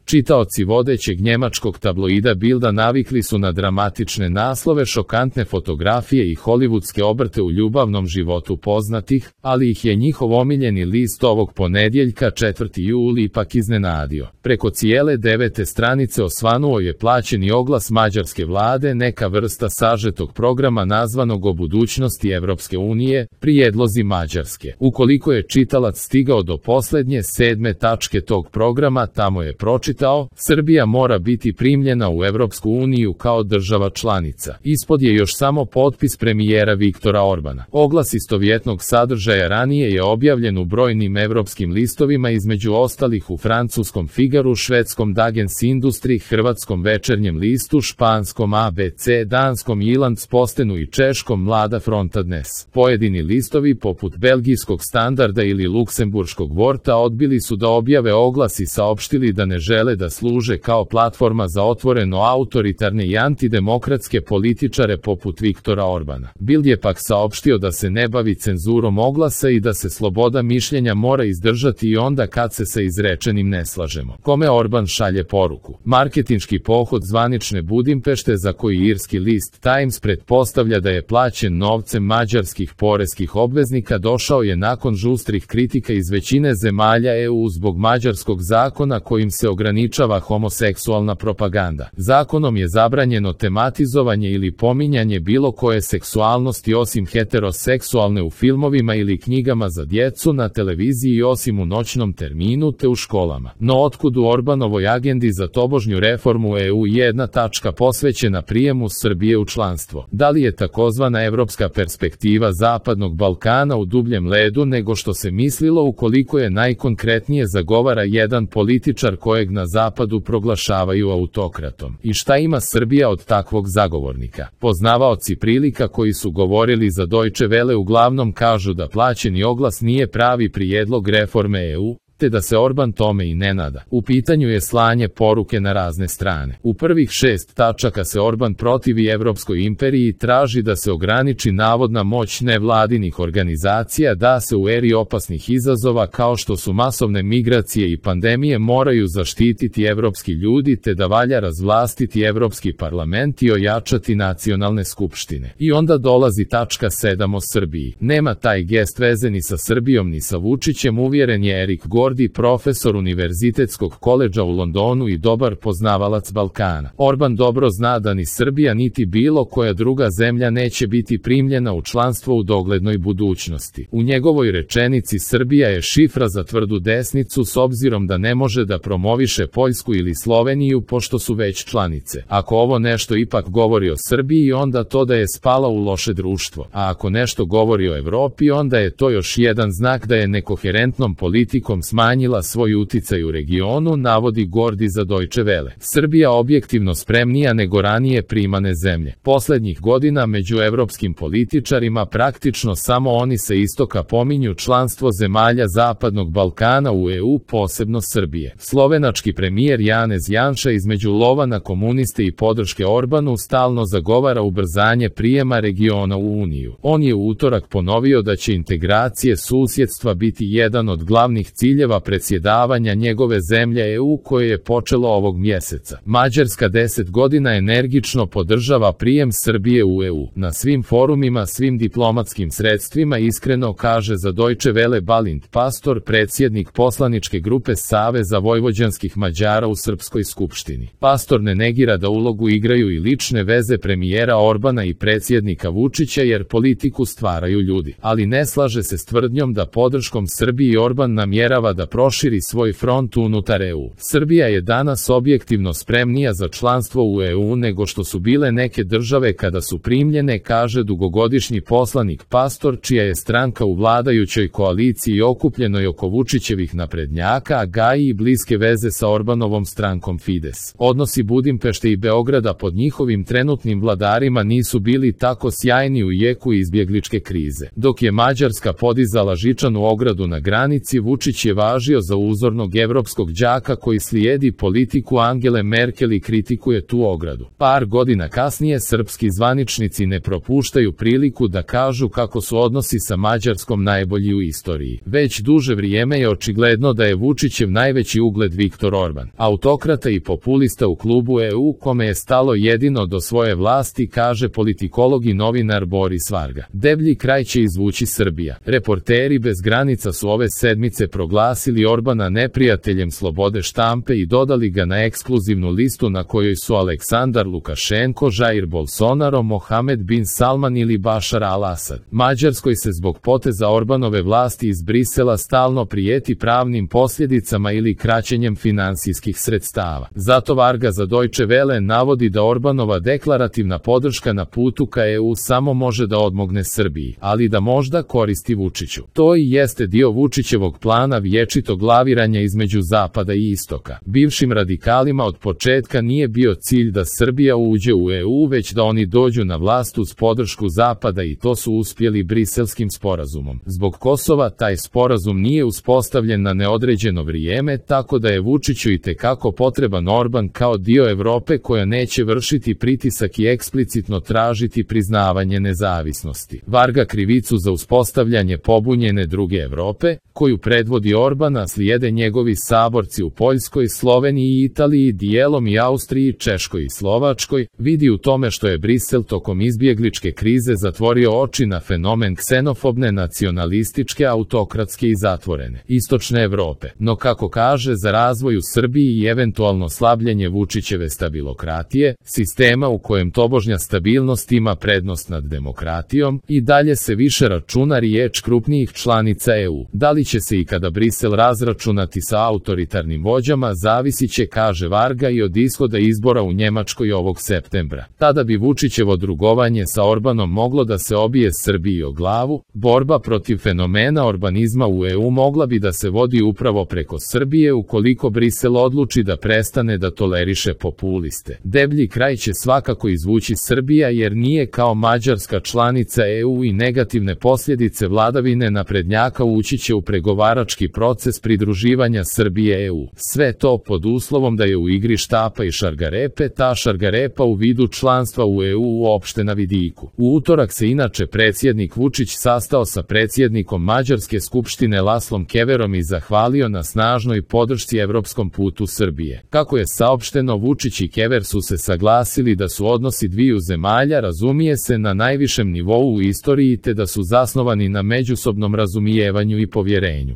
Čitaoci vodećeg njemačkog tabloida Bilda navikli su na dramatične naslove, šokantne fotografije i holivudske obrte u ljubavnom životu poznatih, ali ih je njihov omiljeni list ovog ponedjeljka 4. jul ipak iznenadio. Preko cijele 9. stranice osvanuo je plaćeni oglas mađarske vlade, neka vrsta sažetog programa nazvanog o budućnosti Evropske unije, prijedlozi Mađarske. Ukoliko je čitalac stigao do posljednje 7. tačke tog programa, tamo je pročitao: Srbija mora biti primljena u Evropsku uniju kao država članica. Ispod je još samo potpis premijera Viktora Orbana. Oglas istovjetnog sadržaja ranije je objavljen u brojnim evropskim listovima, između ostalih u francuskom Figaru, švedskom Dagens Industri, hrvatskom Večernjem listu, španskom ABC, danskom Jyllands-Postenu i češkom Mlada fronta dnes. Pojedini listovi poput belgijskog Standarda ili luksemburškog Worta odbili su da objave oglas i saopštili da ne žele da služe kao platforma za otvoreno autoritarne i antidemokratske političare poput Viktora Orbana. Bild je pak saopštio da se ne bavi cenzurom oglasa i da se sloboda mišljenja mora izdržati i onda kad se sa izrečenim ne slažemo. Kome Orban šalje poruku? Marketinški pohod zvanične Budimpešte, za koji irski list Times pretpostavlja da je plaćen novcem mađarskih poreskih obveznika, došao je nakon žustrih kritika iz većine zemalja EU zbog mađarskog zakona kojim se ograničava homoseksualna propaganda. Zakonom je zabranjeno tematizovanje ili pominjanje bilo koje seksualnosti osim heteroseksualne u filmovima ili knjigama za djecu, na televiziji osim u noćnom terminu te u školama. No otkud u Orbanovoj agendi za tobožnju reformu EU jedna tačka posvećena prijemu Srbije u članstvo? Da li je takozvana evropska perspektiva Zapadnog Balkana u dubljem ledu nego što se mislilo, ukoliko je najkonkretnije zagovara jedan političar kojeg na Zapadu proglašavaju autokratom? I šta ima Srbija od takvog zagovornika? Poznavaoci prilika koji su govorili za Deutsche Welle uglavnom kažu da plaćeni oglas nije pravi prijedlog reforme EU, te da se Orban tome i ne nada. U pitanju je slanje poruke na razne strane. U prvih 6 tačaka se Orban protivi Evropskoj imperiji i traži da se ograniči navodna moć nevladinih organizacija, da se u eri opasnih izazova kao što su masovne migracije i pandemije moraju zaštititi evropski ljudi, te da valja razvlastiti Evropski parlament i ojačati nacionalne skupštine. I onda dolazi tačka 7 o Srbiji. Nema taj gest veze ni sa Srbijom ni sa Vučićem, uvjeren je Erik Gordi, profesor Univerzitetskog koledža u Londonu i dobar poznavalac Balkana. Orban dobro zna da ni Srbija niti bilo koja druga zemlja neće biti primljena u članstvo u doglednoj budućnosti. U njegovoj rečenici Srbija je šifra za tvrdu desnicu, s obzirom da ne može da promoviše Poljsku ili Sloveniju pošto su već članice. Ako ovo nešto ipak govori o Srbiji, onda to da je spala u loše društvo. A ako nešto govori o Evropi, onda je to još jedan znak da je nekoherentnom politikom smanjila svoj uticaj u regionu, navodi Gordi za Deutsche Welle. Srbija objektivno spremnija nego ranije primane zemlje. Poslednjih godina među evropskim političarima praktično samo oni sa istoka pominju članstvo zemalja Zapadnog Balkana u EU, posebno Srbije. Slovenački premijer Janez Janša između lova na komuniste i podrške Orbanu stalno zagovara ubrzanje prijema regiona u Uniju. On je u utorak ponovio da će integracije susjedstva biti jedan od glavnih ciljeva predsjedavanja njegove zemlje EU koje je počelo ovog mjeseca. Mađarska 10 godina energično podržava prijem Srbije u EU. Na svim forumima, svim diplomatskim sredstvima, iskreno, kaže za Deutsche Welle Balint Pastor, predsjednik poslaničke grupe Saveza vojvođanskih Mađara u Srpskoj skupštini. Pastor ne negira da ulogu igraju i lične veze premijera Orbana i predsjednika Vučića, jer politiku stvaraju ljudi, ali ne slaže se s tvrdnjom da podrškom Srbiji Orban namjerava da proširi svoj front unutar EU. Srbija je danas objektivno spremnija za članstvo u EU nego što su bile neke države kada su primljene, kaže dugogodišnji poslanik Pastor, čija je stranka u vladajućoj koaliciji okupljenoj oko Vučićevih naprednjaka, a gaji i bliske veze sa Orbanovom strankom Fides. Odnosi Budimpešte i Beograda pod njihovim trenutnim vladarima nisu bili tako sjajni u jeku izbjegličke krize. Dok je Mađarska podizala žičanu ogradu na granici, Vučić je važio za uzornog evropskog đaka koji slijedi politiku Angele Merkel i kritikuje tu ogradu. Par godina kasnije srpski zvaničnici ne propuštaju priliku da kažu kako su odnosi sa Mađarskom najbolji u istoriji. Već duže vrijeme je očigledno da je Vučićev najveći ugled Viktor Orban, autokrata i populista u klubu EU kome je stalo jedino do svoje vlasti, kaže politikolog i novinar Boris Varga. Deblji kraj će izvući Srbija. Reporteri bez granica su ove sedmice proglasili Orbana neprijateljem slobode štampe i dodali ga na ekskluzivnu listu na kojoj su Aleksandar Lukašenko, Jair Bolsonaro, Mohamed bin Salman ili Bašar al-Asad. Mađarskoj se zbog poteza Orbanove vlasti iz Brisela stalno prijeti pravnim posljedicama ili kraćenjem finansijskih sredstava. Zato Varga za Deutsche Welle navodi da Orbanova deklarativna podrška na putu ka EU samo može da odmogne Srbiji, ali da možda koristi Vučiću. To i jeste dio Vučićevog plana vječitog laviranja između zapada i istoka. Bivšim radikalima od početka nije bio cilj da Srbija uđe u EU, već da oni dođu na vlast uz podršku zapada i to su uspjeli Briselskim sporazumom. Zbog Kosova taj sporazum nije uspostavljen na neodređeno vrijeme, tako da je Vučiću itekako potreban Orban kao dio Evrope koja neće vršiti pritisak i eksplicitno tražiti priznavanje nezavisnosti. Varga krivicu za uspostavljanje pobunjene druge Evrope, koju predvodi Orbana, slijede njegovi saborci u Poljskoj, Sloveniji i Italiji, dijelom i Austriji, Češkoj i Slovačkoj, vidi u tome što je Brisel tokom izbjegličke krize zatvorio oči na fenomen ksenofobne, nacionalističke, autokratske i zatvorene istočne Evrope. No kako kaže, za razvoj u Srbiji i eventualno slabljenje Vučićeve stabilokratije, sistema u kojem tobožnja stabilnost ima prednost nad demokratijom, i dalje se više računa riječ krupnijih članica EU. Da li će se ikada Brisel razračunati sa autoritarnim vođama zavisit će, kaže Varga, i od ishoda izbora u Njemačkoj ovog septembra. Tada bi Vučićevo drugovanje sa Orbanom moglo da se obije Srbiji o glavu. Borba protiv fenomena orbanizma u EU mogla bi da se vodi upravo preko Srbije ukoliko Brisel odluči da prestane da toleriše populiste. Deblji kraj će svakako izvući Srbija jer nije kao Mađarska članica EU i negativne posljedice vladavine naprednjaka ući će u pregovarački proces pridruživanja Srbije EU. Sve to pod uslovom da je u igri štapa i šargarepe, ta šargarepa u vidu članstva u EU uopšte na vidiku. U utorak se inače predsjednik Vučić sastao sa predsjednikom Mađarske skupštine Laslom Keverom i zahvalio na snažnoj podršci evropskom putu Srbije. Kako je saopšteno, Vučić i Kever su se saglasili da su odnosi dviju zemalja, razumije se, na najvišem nivou u istoriji te da su zasnovani na međusobnom razumijevanju i povjerenju.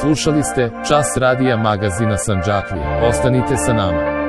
Slušali ste Čas radija magazina Sandžaklija. Ostanite sa nama.